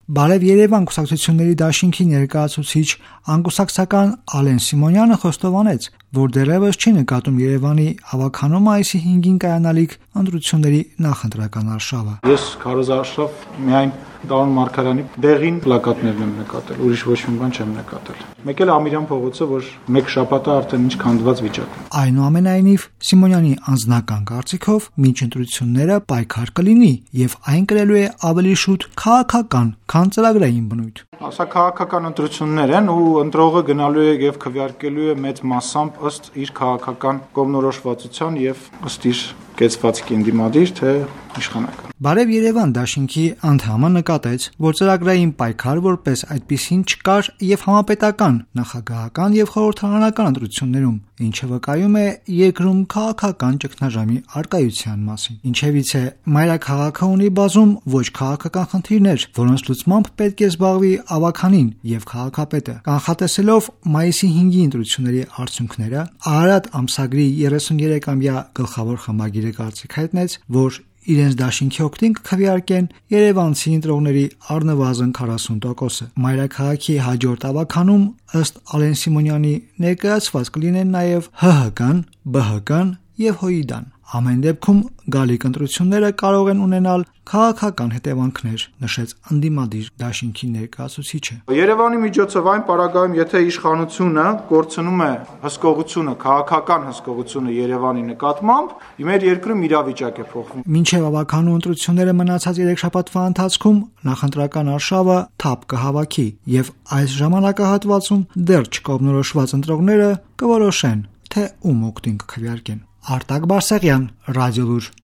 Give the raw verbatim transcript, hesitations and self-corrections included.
Բարև Երևան կուսակցությունների դաշինքի ներկայացուցիչ անկուսակցական Ալեն Սիմոնյանը խոստովանեց, որ դեռևս չի նկատում Երևանի հավաքանում մայիսի հինգին կայանալիք ընտրությունների նախընտրական արշավը։ Ես քարոզարշավ միայն Դարոն Մարգարյանի դեղին պլակատներն եմ նկատել, ուրիշ ոչ մի բան չեմ նկատել։ Մեկ էլ Ամիրյան փողոցը, որ մեկ շաբաթ է արդեն ինչ քանդված վիճակում։ Այնուամենայնիվ, Սիմոնյանի անձնական կարծիքով մինչ ընտրությունները պայքար կլինի եւ այն կրելու է ավելի շուտ քաղաքական, քան ծրագրային բնույթ։ Սա քաղաքական ընտրություններ են ու ընտրողը գնալու է եւ քվեարկելու է մեծ մասամբ ըստ իր քաղաքական կողմնորոշվածության եւ ըստ իր կեցվածքի ընդդիմադիր թե իշխանական։ Բարև Երևան դաշինքի անդամը նկատեց, որ ծրագրային պայքար որպես այդպիսին չկար եւ համապետական, նախագահական եւ խորհրդարանական ընտրություններում, ինչը վկայում է երկրում քաղաքական ճգնաժամի առկայության մասին։ Ինչևից է մայրաքաղաքը ունի բազում ոչ քաղաքական խնդիրներ, որոնց լուծմամբ պետք է զբաղվի ավականին եւ քաղաքապետը։ Կանխատեսելով մայիսի հինգի ընտրությունների արդյունքները, Արարատ ամսագրի երեսուներեքամյա գլխավոր խմբագիրը կարծիք հայտնեց, որ իրենց դաշինքի օգտին կքվեարկեն երևանցի ընտրողների առնվազն քառասուն տոկոսը։ Մայրաքաղաքի հաջորդ ավականում ըստ Ալեն Սիմոնյանի ներկայացված կլինեն նաև ՀՀԿ-ն, ԲՀԿ-ն եւ ՀՅԴ-ն։ Ամեն դեպքում գալիք ընտրությունները կարող են ունենալ քաղաքական հետևանքներ, նշեց ընդդիմադիր դաշինքի ներկայացուցիչը։ Երևանի միջոցով այն պարագայում, եթե իշխանությունը կորցնում է հսկողությունը, քաղաքական հսկողությունը Երևանի նկատմամբ, մեր երկրում իրավիճակ է փոխվում։ Մինչև ավականու ընտրությունները մնացած երեք շաբաթվա ընթացքում նախընտրական արշավը թափ կհավաքի եւ այս ժամանակահատվածում դեռ չկողմնորոշված ընտրողները կորոշեն, թե ում օգտին կքվեարկեն։ Արտակ Բարսեղյան, Ռադիոլուր։